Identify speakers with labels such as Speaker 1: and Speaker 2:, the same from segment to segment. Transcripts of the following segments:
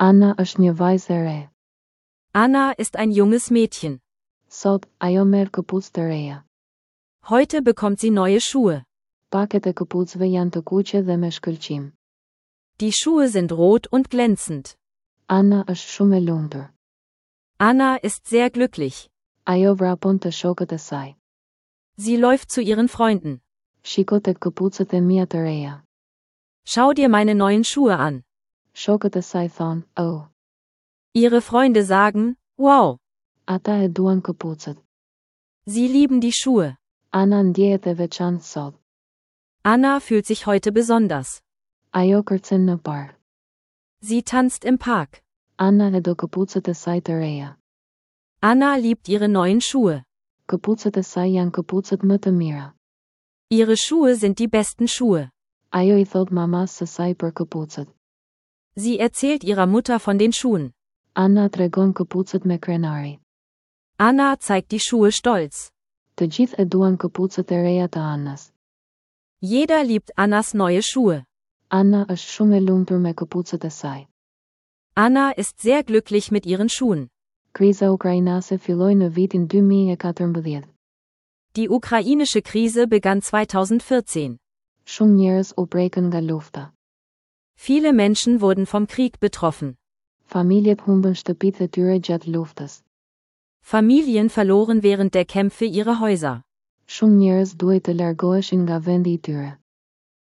Speaker 1: Anna është një vajzë e re.
Speaker 2: Anna ist ein junges Mädchen.
Speaker 1: Sot, ajo merr këpucë të reja.
Speaker 2: Heute bekommt sie neue Schuhe.
Speaker 1: Paket e këpucëve janë të kuqe dhe me shkëlqim.
Speaker 2: Die Schuhe sind rot und glänzend.
Speaker 1: Anna është shumë e lumtur.
Speaker 2: Anna ist sehr glücklich.
Speaker 1: Ajo vrapon te shokët e saj.
Speaker 2: Sie läuft zu ihren Freunden.
Speaker 1: Shiko tek këpucët e mia të reja.
Speaker 2: Schau dir meine neuen Schuhe an.
Speaker 1: Shokët e saj thonë, "Oh."
Speaker 2: Ihre Freunde sagen, wow.
Speaker 1: Ata e duan këpucët.
Speaker 2: Sie lieben die Schuhe.
Speaker 1: Anna ndjehet e veçantë sot.
Speaker 2: Anna fühlt sich heute besonders.
Speaker 1: Ajo kërcen në park.
Speaker 2: Sie tanzt im Park.
Speaker 1: Anna e do këpucët e saj të reja.
Speaker 2: Anna liebt ihre neuen Schuhe.
Speaker 1: Këpucët e saj janë këpucët më të mira.
Speaker 2: Ihre Schuhe sind die besten Schuhe.
Speaker 1: Ajo i thotë mamasë së saj për këpucët.
Speaker 2: Sie erzählt ihrer Mutter von den Schuhen.
Speaker 1: Anna tregon këpucët me krenari.
Speaker 2: Anna zeigt die Schuhe stolz.
Speaker 1: Të gjithë e duan këpucët e reja të Annës.
Speaker 2: Jeder liebt Annas neue Schuhe.
Speaker 1: Anna është shumë e lumtur me këpucët e saj.
Speaker 2: Anna ist sehr glücklich mit ihren Schuhen.
Speaker 1: Kriza ukrainase filloi në vitin 2014.
Speaker 2: Die ukrainische Krise begann 2014.
Speaker 1: Shumë njerëz u prekën nga lufta.
Speaker 2: Viele Menschen wurden vom Krieg betroffen.
Speaker 1: Familjet humbën shtëpitë e tyre gjatë luftës.
Speaker 2: Familien verloren während der Kämpfe ihre Häuser.
Speaker 1: Shumë njerëz duhej të largoheshin nga vendi i tyre.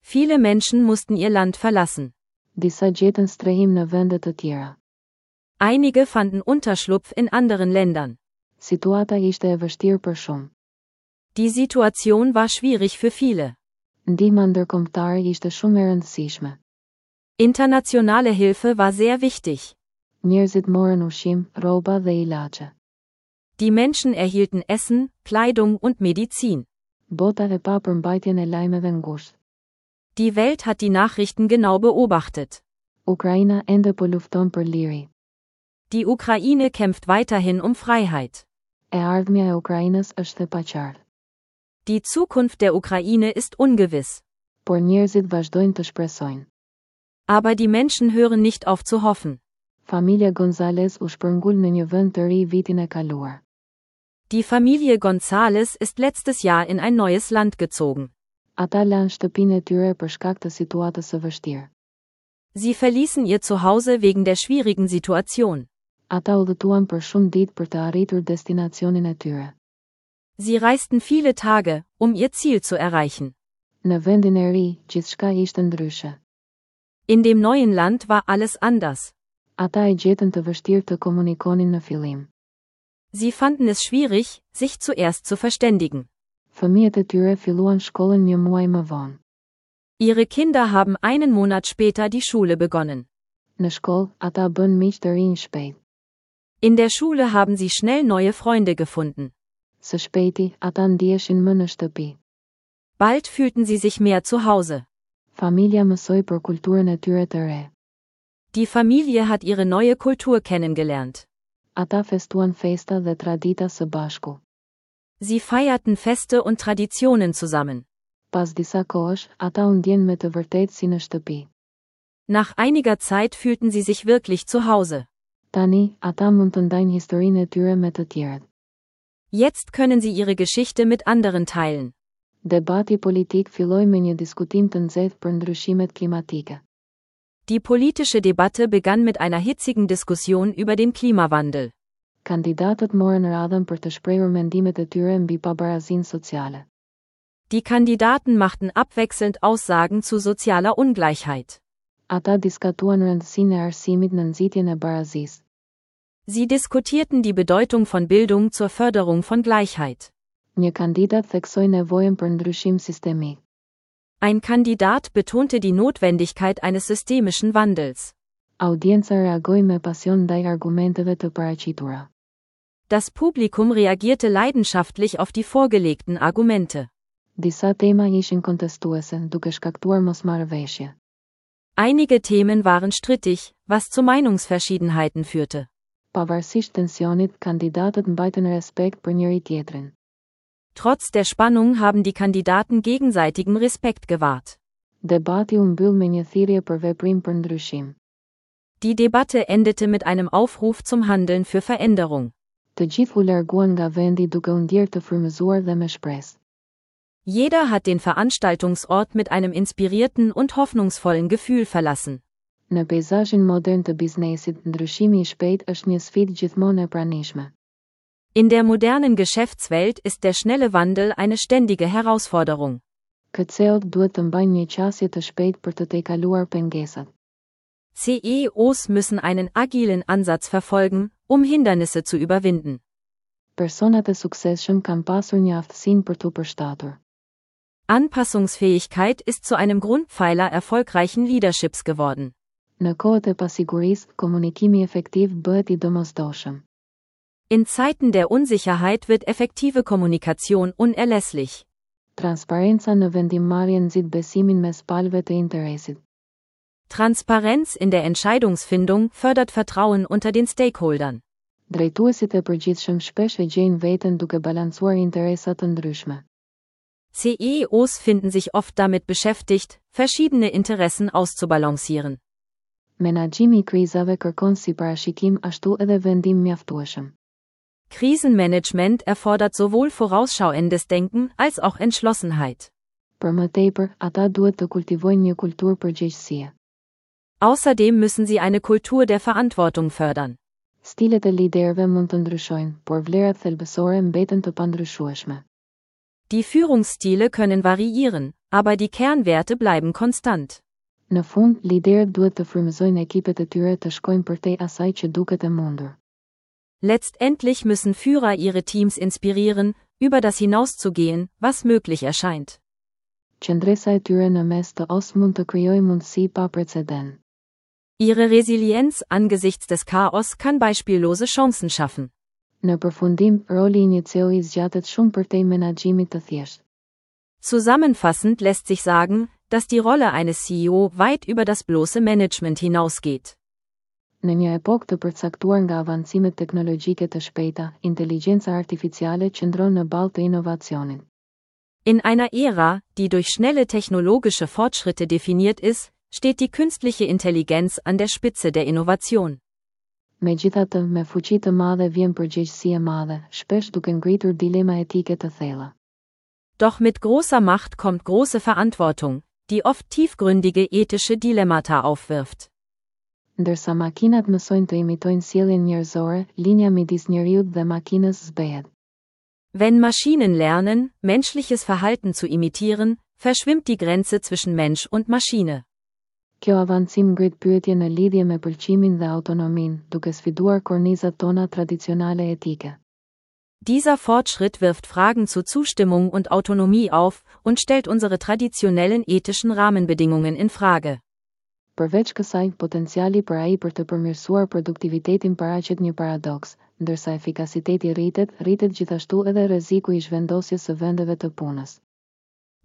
Speaker 2: Viele Menschen mussten ihr Land verlassen.
Speaker 1: Disa gjetën strehim në vende të tjera.
Speaker 2: Einige fanden Unterschlupf in anderen Ländern.
Speaker 1: Situata ishte e vështirë për shumë.
Speaker 2: Die Situation war schwierig für viele.
Speaker 1: Ndihma ndërkombëtare ishte shumë e rëndësishme.
Speaker 2: Internationale Hilfe war sehr wichtig.
Speaker 1: Njerëzit morën ushqim, rroba dhe ilaçe.
Speaker 2: Die Menschen erhielten Essen, Kleidung und Medizin.
Speaker 1: Bota e pa përmbajtjen e lajmeve ngushtë.
Speaker 2: Die Welt hat die Nachrichten genau beobachtet.
Speaker 1: Ukraina ende po lufton për liri.
Speaker 2: Die Ukraine kämpft weiterhin um Freiheit.
Speaker 1: E ardhmja e Ukrainës është e paqartë.
Speaker 2: Die Zukunft der Ukraine ist ungewiss.
Speaker 1: Por njerëzit vazhdojnë të shpresojnë.
Speaker 2: Aber die Menschen hören nicht auf zu hoffen.
Speaker 1: Familja Gonzalez u shpërngul në një vend të ri vitin e kaluar.
Speaker 2: Die Familie Gonzales ist letztes Jahr in ein neues Land gezogen.
Speaker 1: Ata lanë shtëpinë e tyre për shkak të situatës së vështirë.
Speaker 2: Sie verließen ihr Zuhause wegen der schwierigen Situation.
Speaker 1: Ata udhëtuan për shumë ditë për të arritur destinacionin e tyre.
Speaker 2: Sie reisten viele Tage, um ihr Ziel zu erreichen.
Speaker 1: Në vendin e ri, gjithçka ishte ndryshe.
Speaker 2: In dem neuen Land war alles anders.
Speaker 1: Ata e gjetën të vështirë të komunikonin në fillim.
Speaker 2: Sie fanden es schwierig, sich zuerst zu verständigen.
Speaker 1: Fëmijët e tyre filluan shkollën një muaj më vonë.
Speaker 2: Ihre Kinder haben einen Monat später die Schule begonnen.
Speaker 1: Në shkollë, ata bënë miq të rinj shpejt.
Speaker 2: In der Schule haben sie schnell neue Freunde gefunden.
Speaker 1: Së shpejti, ata ndiheshin më në shtëpi.
Speaker 2: Bald fühlten sie sich mehr zu Hause.
Speaker 1: Familja mësoi për kulturën e tyre të re.
Speaker 2: Die Familie hat ihre neue Kultur kennengelernt.
Speaker 1: Ata festuan festa dhe tradita së bashku.
Speaker 2: Sie feierten Feste und Traditionen zusammen.
Speaker 1: Pas disa kohësh, ata u ndjenë me të vërtetë si në shtëpi.
Speaker 2: Nach einiger Zeit fühlten sie sich wirklich zu Hause.
Speaker 1: Tani, ata mund të ndajnë historinë e tyre me të tjerët.
Speaker 2: Jetzt können sie ihre Geschichte mit anderen teilen.
Speaker 1: Debati politik filloi me një diskutim të nxehtë për ndryshimet klimatike.
Speaker 2: Die politische Debatte begann mit einer hitzigen Diskussion über den Klimawandel.
Speaker 1: Kandidatët morën radhën për të shprehur mendimet e tyre mbi pabarazinë sociale.
Speaker 2: Die Kandidaten machten abwechselnd Aussagen zu sozialer Ungleichheit.
Speaker 1: Ata diskutuan rëndësinë e arsimit në nxitjen e barazisë.
Speaker 2: Sie diskutierten die Bedeutung von Bildung zur Förderung von Gleichheit.
Speaker 1: Një kandidat theksoi nevojën për ndryshim sistemik.
Speaker 2: Ein Kandidat betonte die Notwendigkeit eines systemischen Wandels.
Speaker 1: Audienca reagoi me pasion ndaj argumenteve të paraqitura.
Speaker 2: Das Publikum reagierte leidenschaftlich auf die vorgelegten Argumente.
Speaker 1: Disa tema ishin kontestuese, duke shkaktuar mosmarrëveshje.
Speaker 2: Einige Themen waren strittig, was zu Meinungsverschiedenheiten führte.
Speaker 1: Pavarësisht tensionit, kandidatët mbajtën respekt për njëri tjetrin.
Speaker 2: Trotz der Spannung haben die Kandidaten gegenseitigen Respekt gewahrt.
Speaker 1: Debati u mbyll me një thirrje për veprim për ndryshim.
Speaker 2: Die Debatte endete mit einem Aufruf zum Handeln für Veränderung.
Speaker 1: Të gjithë u larguan nga vendi duke u ndjerë të frymëzuar dhe me shpresë.
Speaker 2: Jeder hat den Veranstaltungsort mit einem inspirierten und hoffnungsvollen Gefühl verlassen.
Speaker 1: Në peizazhin modern të biznesit, ndryshimi i shpejtë është një sfidë gjithmonë e pranishme.
Speaker 2: In der modernen Geschäftswelt ist der schnelle Wandel eine ständige Herausforderung.
Speaker 1: KCO-t duhet të mbajnë një qasje të shpejtë për të tejkaluar pengesat.
Speaker 2: CEOs müssen einen agilen Ansatz verfolgen, um Hindernisse zu überwinden.
Speaker 1: Personat e suksesshëm kanë pasur një aftësinë për t'u përshtatur.
Speaker 2: Anpassungsfähigkeit ist zu einem Grundpfeiler erfolgreichen Leaderships geworden.
Speaker 1: Në kohët e pasigurisë, komunikimi efektiv bëhet i domosdoshëm.
Speaker 2: In Zeiten der Unsicherheit wird effektive Kommunikation unerlässlich.
Speaker 1: Transparenca në vendimmarrje nxit besimin mes palëve të interesit.
Speaker 2: Transparenz in der Entscheidungsfindung fördert Vertrauen unter den Stakeholdern.
Speaker 1: Drejtuesit e përgjithshëm shpesh e gjejnë veten duke balancuar interesa të ndryshme.
Speaker 2: CEOs finden sich oft damit beschäftigt, verschiedene Interessen auszubalancieren.
Speaker 1: Menaxhimi i krizave kërkon si parashikim ashtu edhe vendim mjaftueshëm.
Speaker 2: Krisenmanagement erfordert sowohl vorausschauendes Denken als auch Entschlossenheit.
Speaker 1: Për më tepër, ata duhet të kultivojnë një kulturë përgjegjësie.
Speaker 2: Außerdem müssen sie eine Kultur der Verantwortung fördern.
Speaker 1: Stilet e liderëve mund të ndryshojnë, por vlerat thelbësore mbeten të pandryshueshme.
Speaker 2: Die Führungsstile können variieren, aber die Kernwerte bleiben konstant.
Speaker 1: Në fund, liderët duhet të frymëzojnë ekipet e tyre të shkojnë përtej asaj që duket e mundur.
Speaker 2: Letztendlich müssen Führer ihre Teams inspirieren, über das hinauszugehen, was möglich erscheint.
Speaker 1: Qëndresa e tyre në mes të kaosit mund të krijojë mundësi pa precedent.
Speaker 2: Ihre Resilienz angesichts des Chaos kann beispiellose Chancen schaffen.
Speaker 1: Në përfundim, roli i një CEO-i zgjatet shumë përtej menaxhimit të thjeshtë.
Speaker 2: Zusammenfassend lässt sich sagen, dass die Rolle eines CEO weit über das bloße Management hinausgeht.
Speaker 1: Në një epokë të përcaktuar nga avancimet teknologjike të shpejta, inteligjenca artificiale qëndron në ballë të inovacionit.
Speaker 2: In einer Ära, die durch schnelle technologische Fortschritte definiert ist, steht die künstliche Intelligenz an der Spitze der Innovation.
Speaker 1: Megjithatë, me fuqi të madhe vjen përgjegjësi e madhe, shpesh duke ngritur dilema etike të thella.
Speaker 2: Doch mit großer Macht kommt große Verantwortung, die oft tiefgründige ethische Dilemmata aufwirft.
Speaker 1: Ndërsa makinat mësojnë të imitojnë sjelljen njerëzore, linja midis njeriut dhe makinës zbehet.
Speaker 2: Wenn Maschinen lernen, menschliches Verhalten zu imitieren, verschwimmt die Grenze zwischen Mensch und Maschine.
Speaker 1: Kjo avancim ngrit pyetje në lidhje me pëlqimin dhe autonominë, duke sfiduar kornizat tona tradicionale etike.
Speaker 2: Dieser Fortschritt wirft Fragen zu Zustimmung und Autonomie auf und stellt unsere traditionellen ethischen Rahmenbedingungen in Frage.
Speaker 1: Përveç kësaj, potenciali për AI për të përmirësuar produktivitetin paraqet një paradoks, ndërsa efikasiteti rritet, rritet gjithashtu edhe rreziku i zhvendosjes së vendeve të punës.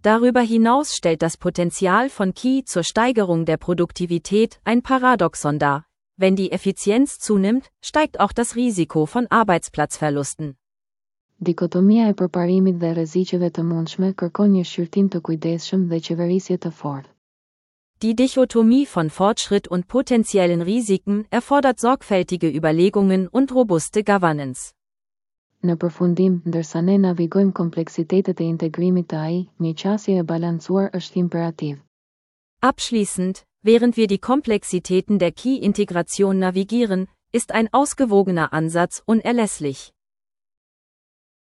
Speaker 2: Darüber hinaus stellt das Potenzial von KI zur Steigerung der Produktivität ein Paradoxon dar. Wenn die Effizienz zunimmt, steigt auch das Risiko von Arbeitsplatzverlusten.
Speaker 1: Dikotomia e përparimit dhe rreziqeve të mundshme kërkon një shqyrtim të kujdesshëm dhe qeverisje të fortë.
Speaker 2: Die Dichotomie von Fortschritt und potenziellen Risiken erfordert sorgfältige Überlegungen und robuste Governance.
Speaker 1: Në përfundim, ndërsa ne navigojmë kompleksitetet e integrimit të AI, një qasje e balancuar është imperativ.
Speaker 2: Abschließend, während wir die Komplexitäten der KI-Integration navigieren, ist ein ausgewogener Ansatz unerlässlich.